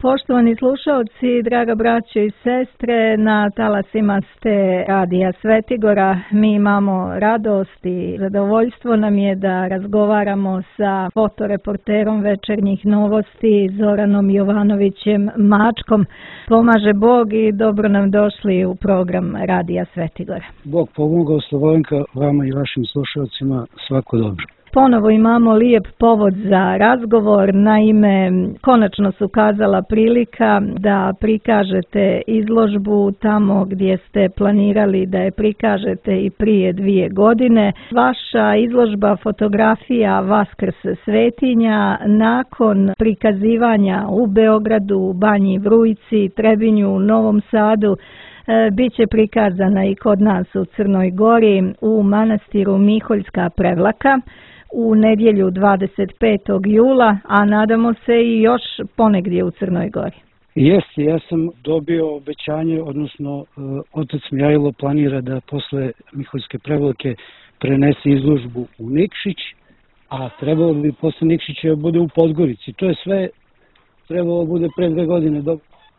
Poštovani slušaoci, draga braćo i sestre, na talasima ste Radija Svetigora. Mi imamo radost i zadovoljstvo nam je da razgovaramo sa fotoreporterom Večernjih novosti Zoranom Jovanovićem Mačkom. Pomaže Bog i dobro nam došli u program Radija Svetigora. Bog pomogao, Slovenka, vama i vašim slušalcima svako dobro. Ponovo imamo lijep povod za razgovor, naime konačno se ukazala prilika da prikažete izložbu tamo gdje ste planirali da je prikažete i prije 2 godine. Vaša izložba fotografija Vaskrs svetinja nakon prikazivanja u Beogradu, Banji Vrujci, Trebinju, Novom Sadu, biće prikazana i kod nas u Crnoj Gori u manastiru Miholjska Prevlaka u nedjelju 25. jula, a nadamo se i još ponegdje u Crnoj Gori. Jeste, ja sam dobio obećanje, odnosno otac Mihajlo planira da posle Miholjske Prevlake prenese izložbu u Nikšić, a trebalo bi posle Nikšića da bude u Podgorici. To je sve trebalo bude pre 2 godine,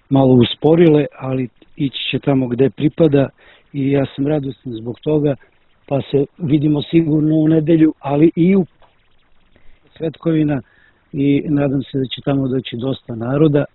malo usporile, ali ići će tamo gde pripada i ja sam radostan zbog toga, pa se vidimo sigurno u nedelju, ali i u Svetkovina i nadam se da će tamo doći dosta naroda,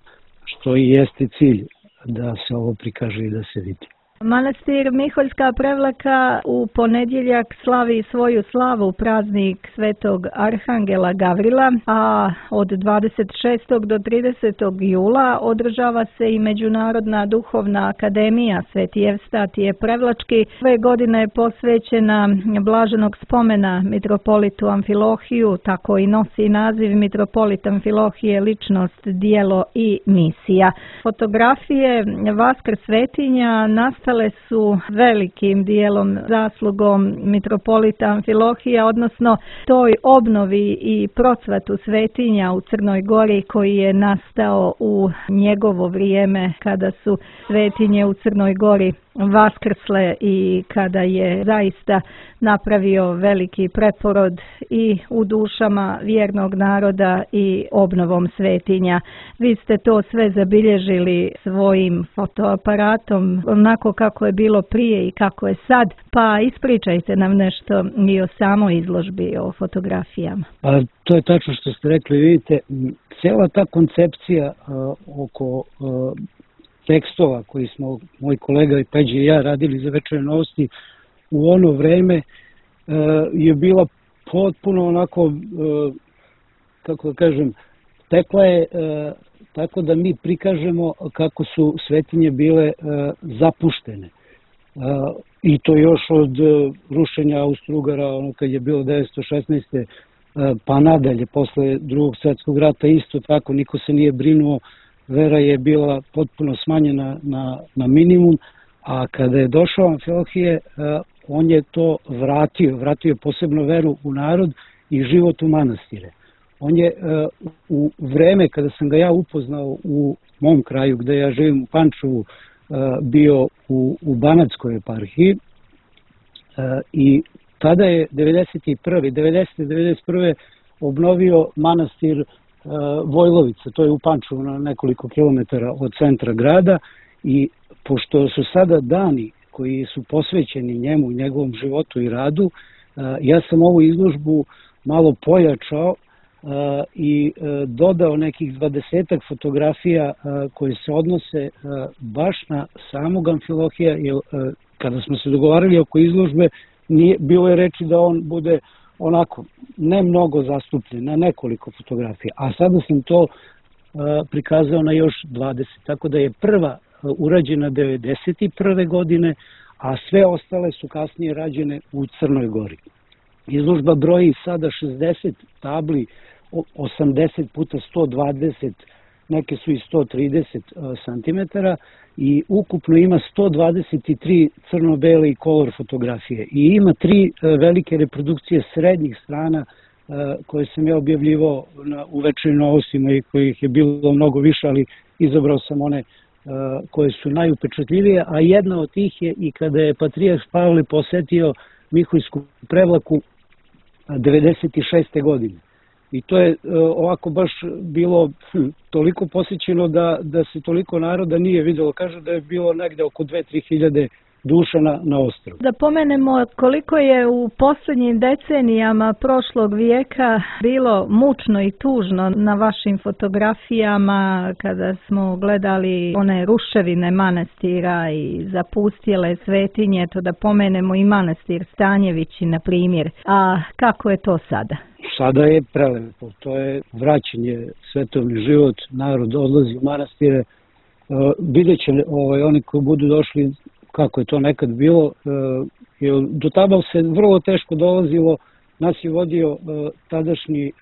što i jeste cilj da se ovo prikaže i da se vidi. Manastir Miholjska Prevlaka u ponedjeljak slavi svoju slavu, praznik Svetog Arhangela Gavrila, a od 26. do 30. jula održava se i Međunarodna duhovna akademija Sveti Evstatije Prevlački. Ove godine je posvećena blaženog spomena mitropolitu Amfilohiju, tako i nosi naziv Mitropolit Amfilohije, ličnost, dijelo i misija. Fotografije Vaskrs svetinja nastale su velikim dijelom zaslugom mitropolita Amfilohija, odnosno toj obnovi i procvatu svetinja u Crnoj Gori koji je nastao u njegovo vrijeme kada su svetinje u Crnoj Gori vaskrsle i kada je zaista napravio veliki preporod i u dušama vjernog naroda i obnovom svetinja. Vi ste to sve zabilježili svojim fotoaparatom, onako kako je bilo prije i kako je sad, pa ispričajte nam nešto i o samoj izložbi, o fotografijama. Pa to je tačno što ste rekli, vidite, cijela ta koncepcija oko tekstova koji smo moj kolega i Peđe i ja radili za Večerne novosti u ono vreme je bila potpuno onako, kako da kažem, tekla je tako da mi prikažemo kako su svetinje bile zapuštene. I to još od rušenja Austro-Ugara, ono kad je bilo 1916. Pa nadalje, posle Drugog svjetskog rata isto tako, niko se nije brinuo, vera je bila potpuno smanjena na minimum, a kada je došao Amfilohije, on je to vratio posebno veru u narod i život u manastire. On je u vreme kada sam ga ja upoznao u mom kraju, gde ja živim u Pančevu, bio u Banatskoj eparhiji i tada je 91. obnovio manastir Vojlovica, to je u Pančevu na nekoliko kilometara od centra grada, i pošto su sada dani koji su posvećeni njemu, njegovom životu i radu, ja sam ovu izložbu malo pojačao i dodao nekih 20 fotografija koje se odnose baš na samog Amfilohija, jer kada smo se dogovarali oko izložbe, bilo je reči da on bude onako, ne mnogo zastupljen, na nekoliko fotografija, a sada sam to prikazao na još 20, tako da je prva urađena 91. godine, a sve ostale su kasnije rađene u Crnoj Gori. Izložba broji sada 60 tabli, 80 puta 120, neke su i 130 cm, i ukupno ima 123 crno-bele i kolor fotografije. I ima 3 velike reprodukcije srednjih strana koje sam ja objavljivao u Večernjim novostima i kojih je bilo mnogo više, ali izabrao sam one koje su najupečatljivije, a jedna od tih je i kada je patrijarh Pavle posetio Miholjsku Prevlaku 96. godine. I to je ovako baš bilo toliko posjećeno da se toliko naroda nije vidjelo. Kažu da je bilo negde oko 2-3 hiljade duša na ostrvu. Da pomenemo koliko je u posljednjim decenijama prošlog vijeka bilo mučno i tužno na vašim fotografijama kada smo gledali one ruševine manastira i zapustjele svetinje, to da pomenemo i manastir Stanjevići na primjer. A kako je to sada? Sada je prelepo, to je vraćanje svetovni život, narod odlazi u manastire, vidjet će oni koji budu došli kako je to nekad bilo, do tada se vrlo teško dolazilo, nas je vodio tadašnji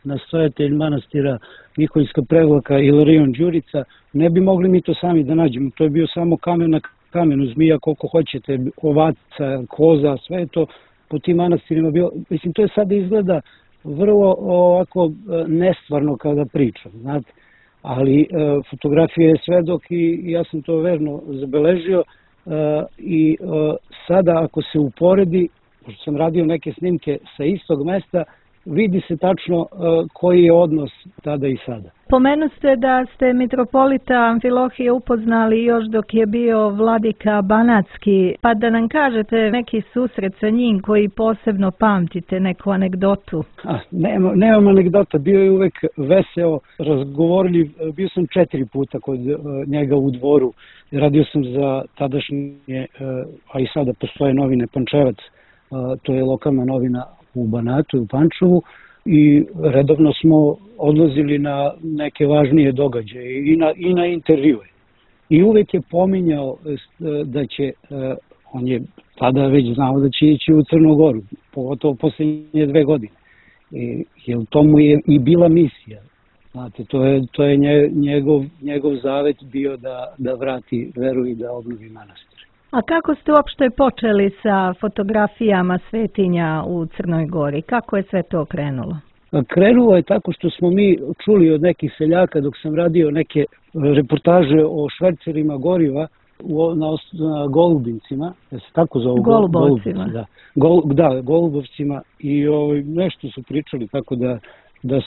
nastojatelj manastira Miholjska Prevlaka Ilarion Đurica, ne bi mogli mi to sami da nađemo, to je bio samo kamen na kamenu, zmija koliko hoćete, ovaca, koza, sve je to po tim manastirima bilo, mislim to je sada izgleda vrlo ovako nestvarno kada pričam, znate, ali fotografija je svedok i ja sam to verno zabeležio. I sada ako se uporedi, pošto sam radio neke snimke sa istog mesta, vidi se tačno koji je odnos tada i sada. Pomenuste da ste mitropolita Amfilohije upoznali još dok je bio vladika Banatski, pa da nam kažete neki susret sa njim koji posebno pamtite, neku anegdotu. Nemam anegdota, bio je uvek veseo, razgovorljiv, bio sam 4 puta kod njega u dvoru, radio sam za tadašnje, a i sada postoje novine Pančevac, to je lokalna novina u Banatu i u Pančevu, i redovno smo odlazili na neke važnije događaje i na intervjue. I uvek je pominjao da će, on je tada već znao da će ići u Crnu Goru, pogotovo posljednje 2 godine. Jer to mu je i bila misija. Znate, to je njegov zavet bio da vrati veru i da obnovi manastir. A kako ste uopšte počeli sa fotografijama svetinja u Crnoj Gori? Kako je sve to krenulo? Krenulo je tako što smo mi čuli od nekih seljaka dok sam radio neke reportaže o švercerima goriva na Golubincima, da se tako zovu? Golubovcima. Da, Golubovcima, i nešto su pričali tako da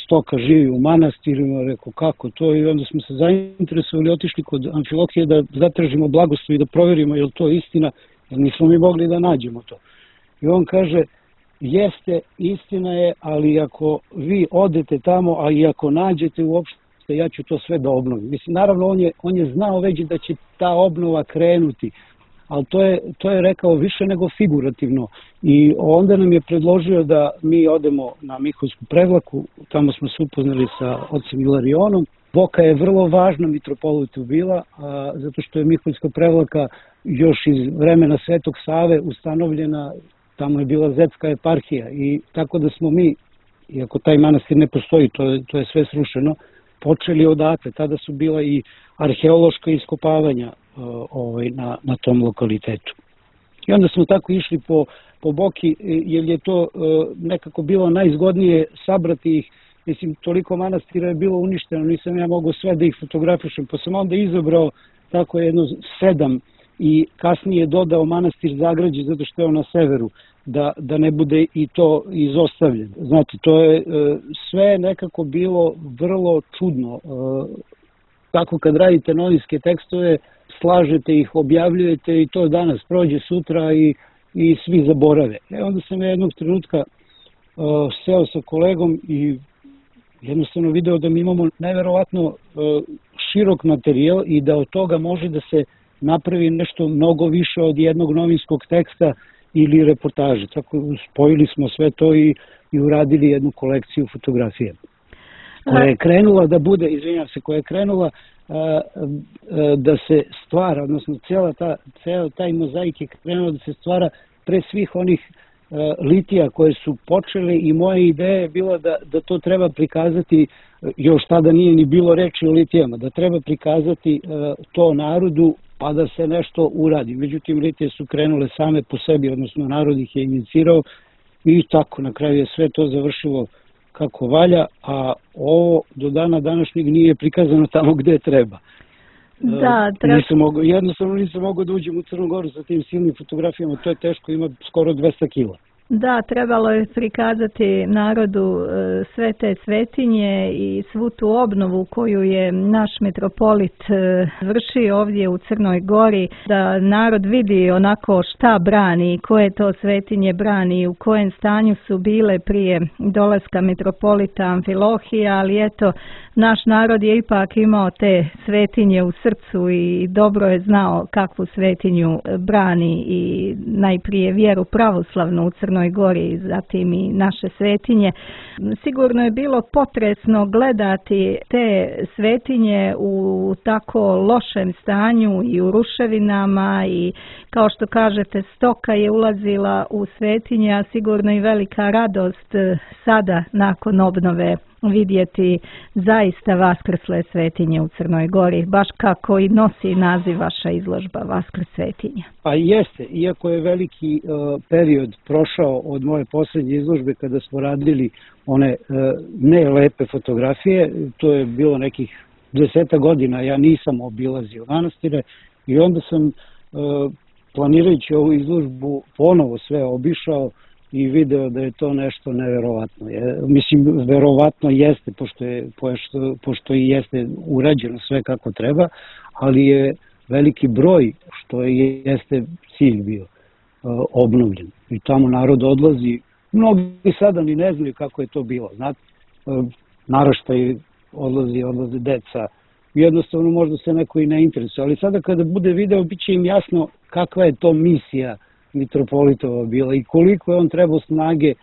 stoka živi u manastirima, rekao kako to, i onda smo se zainteresovali, otišli kod Amfilohije da zatražimo blagoslov i da provjerimo je li to istina, jer nismo mi mogli da nađemo to. I on kaže, jeste, istina je, ali ako vi odete tamo, a i ako nađete uopšte, ja ću to sve da obnovim. Mislim, naravno, on je znao već da će ta obnova krenuti, ali to je rekao više nego figurativno. I onda nam je predložio da mi odemo na Miholjsku Prevlaku, tamo smo se upoznali sa ocem Ilarionom. Boka je vrlo važna mitropolitu bila, zato što je Miholjska Prevlaka još iz vremena Svetog Save ustanovljena, tamo je bila Zetska eparhija, i tako da smo mi, iako taj manastir ne postoji, to je sve srušeno, počeli odatle. Tada su bila i arheološka iskopavanja na tom lokalitetu. I onda smo tako išli po Boki, jer je to nekako bilo najzgodnije sabrati ih. Mislim, toliko manastira je bilo uništeno, nisam ja mogao sve da ih fotografišem, pa sam onda izabrao tako jedno 7 i kasnije dodao manastir Zagrađe, zato što je on na severu, da ne bude i to izostavljeno. Znate, to je sve nekako bilo vrlo čudno. Tako kad radite novinske tekstove, slažete ih, objavljujete i to danas prođe sutra i svi zaborave. Onda sam jednog trenutka seo sa kolegom i jednostavno video da mi imamo neverovatno širok materijal i da od toga može da se napravi nešto mnogo više od jednog novinskog teksta ili reportaže. Tako spojili smo sve to i uradili jednu kolekciju fotografija. Koja je krenula da bude, koja je krenula da se stvara, odnosno cijela taj mozaik je krenula da se stvara pre svih onih litija koje su počele, i moja ideja je bila da to treba prikazati, još tada nije ni bilo reči o litijama, da treba prikazati to narodu pa da se nešto uradi. Međutim, litije su krenule same po sebi, odnosno narod ih je inicirao i tako na kraju je sve to završilo kako valja, a ovo do dana današnjeg nije prikazano tamo gde treba. Jednostavno nisam mogao da uđem u Crnu Goru sa tim silnim fotografijama, to je teško, ima skoro 200 kila. Da, trebalo je prikazati narodu sve te svetinje i svu tu obnovu koju je naš metropolit vršio ovdje u Crnoj Gori, da narod vidi onako šta brani, koje to svetinje brani, u kojem stanju su bile prije dolaska metropolita Amfilohija, ali eto, naš narod je ipak imao te svetinje u srcu i dobro je znao kakvu svetinju brani i najprije vjeru pravoslavnu u Crnoj Gori, zatim i naše svetinje. Sigurno je bilo potresno gledati te svetinje u tako lošem stanju i u ruševinama i kao što kažete stoka je ulazila u svetinje, a sigurno i velika radost sada nakon obnove vidjeti zaista vaskrsle svetinje u Crnoj Gori, baš kako i nosi naziv vaša izložba Vaskrs svetinja. Pa jeste, iako je veliki period prošao od moje posljednje izložbe kada smo radili one ne lepe fotografije, to je bilo nekih 10 godina, ja nisam obilazio manastire i onda sam planirajući ovu izložbu ponovo sve obišao i video da je to nešto neverovatno. Mislim, verovatno jeste, pošto i jeste urađeno sve kako treba, ali je veliki broj, što jeste cilj bio, obnovljen. I tamo narod odlazi, mnogi sada ni ne znaju kako je to bilo. Znate, naraštaj odlaze deca, jednostavno možda se neko i ne interesuje, ali sada kada bude video, bit će im jasno kakva je to misija mitropolitova bila i koliko je on trebao snage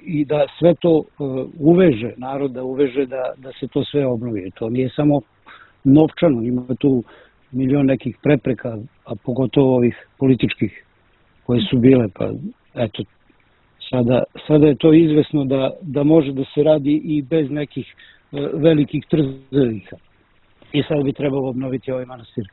i da sve to uveže, narod da uveže da se to sve obnovi. To nije samo novčano, ima tu milion nekih prepreka, a pogotovo ovih političkih koje su bile, pa eto, sada je to izvesno da može da se radi i bez nekih velikih trzaviha. I sad bi trebalo obnoviti ovaj manastir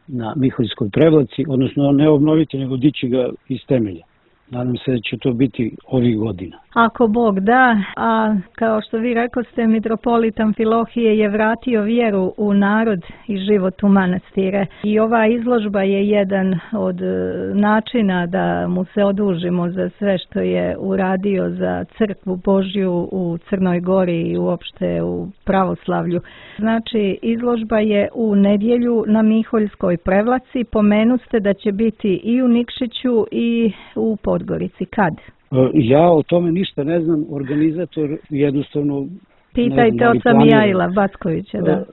na Miholjskoj Prevlaci, odnosno ne obnoviti, nego dići ga iz temelja. Nadam se da će to biti ovih godina. Ako Bog da, a kao što vi rekoste, mitropolit Amfilohije je vratio vjeru u narod i život u manastire. I ova izložba je jedan od načina da mu se odužimo za sve što je uradio za crkvu Božju u Crnoj Gori i uopšte u pravoslavlju. Znači, izložba je u nedjelju na Miholjskoj Prevlaci. Pomenuste da će biti i u Nikšiću i u Podgorici. Kad? Ja o tome ništa ne znam, organizator jednostavno... Pitajte oca Mijaila Backovića, da.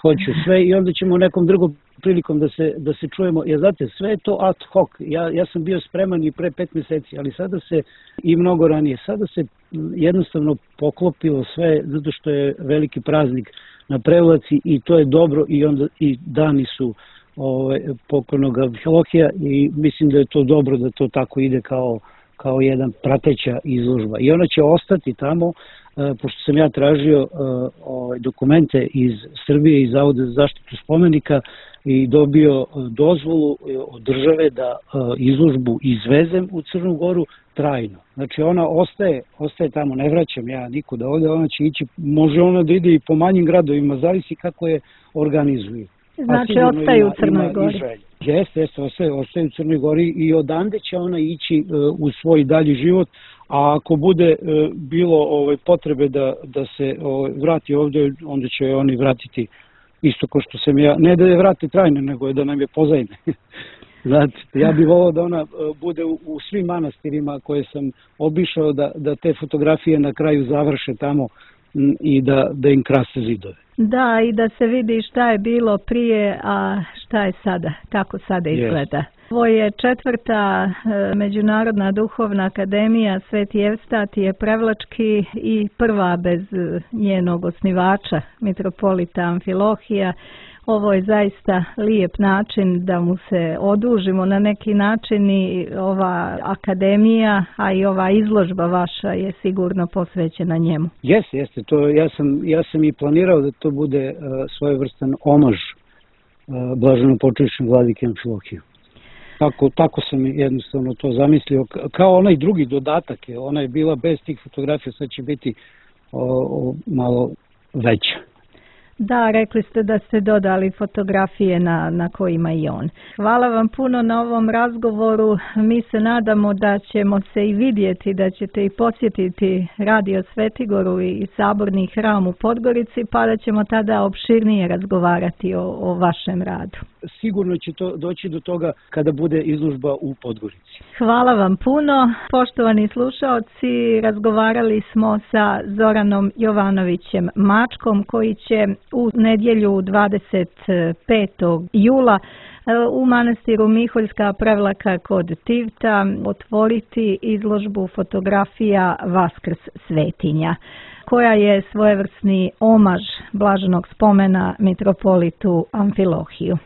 Hoću sve i onda ćemo nekom drugom prilikom da se čujemo. Ja znate, sve je to ad hoc. Ja sam bio spreman i pre 5 mjeseci, ali sada se, i mnogo ranije, sada se jednostavno poklopilo sve, zato što je veliki praznik na Prevlaci i to je dobro i onda i dani su pokojnog Amfilohija i mislim da je to dobro da to tako ide kao jedan prateća izložba. I ona će ostati tamo, pošto sam ja tražio dokumente iz Srbije i Zavoda za zaštitu spomenika i dobio dozvolu od države da izložbu izvezem u Crnu Goru trajno. Znači ona ostaje tamo, ne vraćam ja nikuda ovdje, ona će ići, može ona da ide i po manjim gradovima, zavisi kako je organizuju. Znači ostaje u Crnoj Gori. Jeste, ostaje u Crnoj Gori i odande će ona ići u svoj dalji život, a ako bude bilo potrebe da se vrati ovdje, onda će oni vratiti isto kao što sam ja, ne da je vrati trajno, nego da nam je pozajme. Znači, ja bih volao da ona bude u svim manastirima koje sam obišao, da te fotografije na kraju završe tamo i da im krase zidove. Da, i da se vidi šta je bilo prije, a šta je sada, kako sada izgleda. Ovo je 4. Međunarodna duhovna akademija Sveti Evstatije Prevlački i prva bez njenog osnivača, mitropolita Amfilohija. Ovo je zaista lijep način da mu se odužimo na neki način i ova akademija, a i ova izložba vaša je sigurno posvećena njemu. Jeste, to ja sam i planirao da to bude svojevrstan omaž blaženopočivšem vladike Amfilohiju. Tako sam jednostavno to zamislio, kao onaj drugi dodatak, ona je bila bez tih fotografija, sad će biti malo veća. Da, rekli ste da ste dodali fotografije na kojima i on. Hvala vam puno na ovom razgovoru. Mi se nadamo da ćemo se i vidjeti, da ćete i posjetiti Radio Svetigoru i Saborni hram u Podgorici, pa da ćemo tada opširnije razgovarati o vašem radu. Sigurno će to doći do toga kada bude izložba u Podgorici. Hvala vam puno. Poštovani slušaoci, razgovarali smo sa Zoranom Jovanovićem Mačkom, koji će u nedjelju 25. jula u manastiru Miholjska Prevlaka kod Tivta otvoriti izložbu fotografija Vaskrs svetinja, koja je svojevrsni omaž blaženog spomena mitropolitu Amfilohiju.